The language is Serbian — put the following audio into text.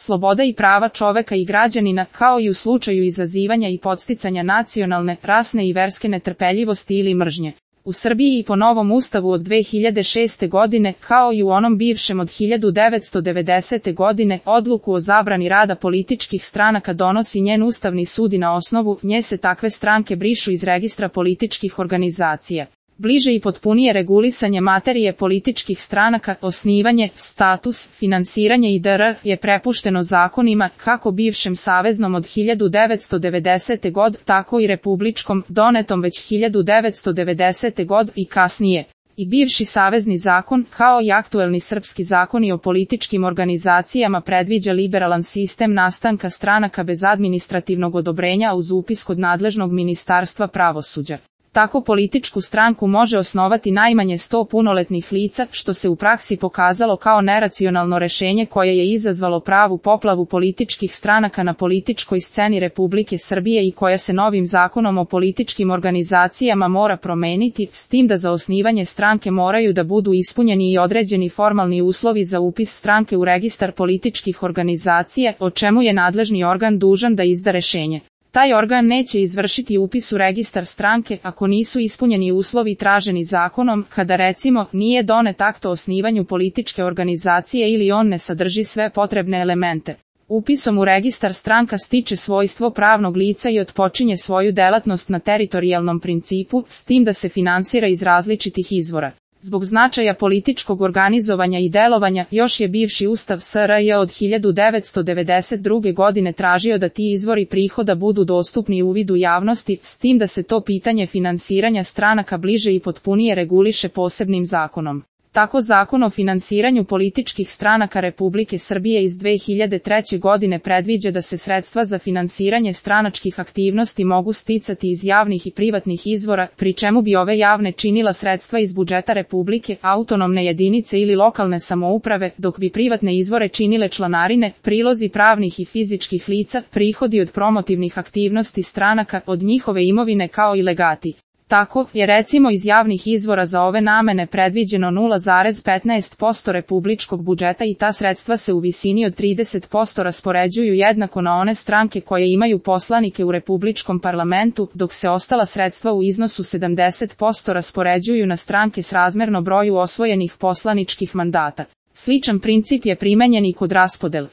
sloboda i prava čoveka i građanina, kao i u slučaju izazivanja i podsticanja nacionalne, rasne i verske netrpeljivosti ili mržnje. U Srbiji i po novom ustavu od 2006. godine, kao i u onom bivšem od 1990. godine, odluku o zabrani rada političkih stranaka donosi njen Ustavni sud i na osnovu nje se takve stranke brišu iz registra političkih organizacija. Bliže i potpunije regulisanje materije političkih stranaka, osnivanje, status, finansiranje dr. je prepušteno zakonima, kako bivšem saveznom od 1990. god, tako i republičkom, donetom već 1990. god i kasnije. I bivši savezni zakon, kao i aktuelni srpski zakoni o političkim organizacijama predviđa liberalan sistem nastanka stranaka bez administrativnog odobrenja uz upis kod nadležnog Ministarstva pravosuđa. Tako političku stranku može osnovati najmanje 100 punoletnih lica, što se u praksi pokazalo kao neracionalno rešenje koje je izazvalo pravu poplavu političkih stranaka na političkoj sceni Republike Srbije i koja se novim zakonom o političkim organizacijama mora promeniti, s tim da za osnivanje stranke moraju da budu ispunjeni i određeni formalni uslovi za upis stranke u registar političkih organizacija, o čemu je nadležni organ dužan da izda rešenje. Taj organ neće izvršiti upis u registar stranke ako nisu ispunjeni uslovi traženi zakonom, kada recimo nije donet akt o osnivanju političke organizacije ili on ne sadrži sve potrebne elemente. Upisom u registar stranka stiče svojstvo pravnog lica i otpočinje svoju delatnost na teritorijalnom principu, s tim da se finansira iz različitih izvora. Zbog značaja političkog organizovanja i delovanja, još je bivši Ustav SRJ od 1992. godine tražio da ti izvori prihoda budu dostupni uvidu javnosti, s tim da se to pitanje finansiranja stranaka bliže i potpunije reguliše posebnim zakonom. Tako Zakon o finansiranju političkih stranaka Republike Srbije iz 2003. godine predviđa da se sredstva za finansiranje stranačkih aktivnosti mogu sticati iz javnih i privatnih izvora, pri čemu bi ove javne činila sredstva iz budžeta Republike, autonomne jedinice ili lokalne samouprave, dok bi privatne izvore činile članarine, prilozi pravnih i fizičkih lica, prihodi od promotivnih aktivnosti stranaka, od njihove imovine kao i legati. Tako je recimo iz javnih izvora za ove namene predviđeno 0,15% republičkog budžeta i ta sredstva se u visini od 30% raspoređuju jednako na one stranke koje imaju poslanike u republičkom parlamentu, dok se ostala sredstva u iznosu 70% raspoređuju na stranke srazmerno broju osvojenih poslaničkih mandata. Sličan princip je primenjen i kod raspodele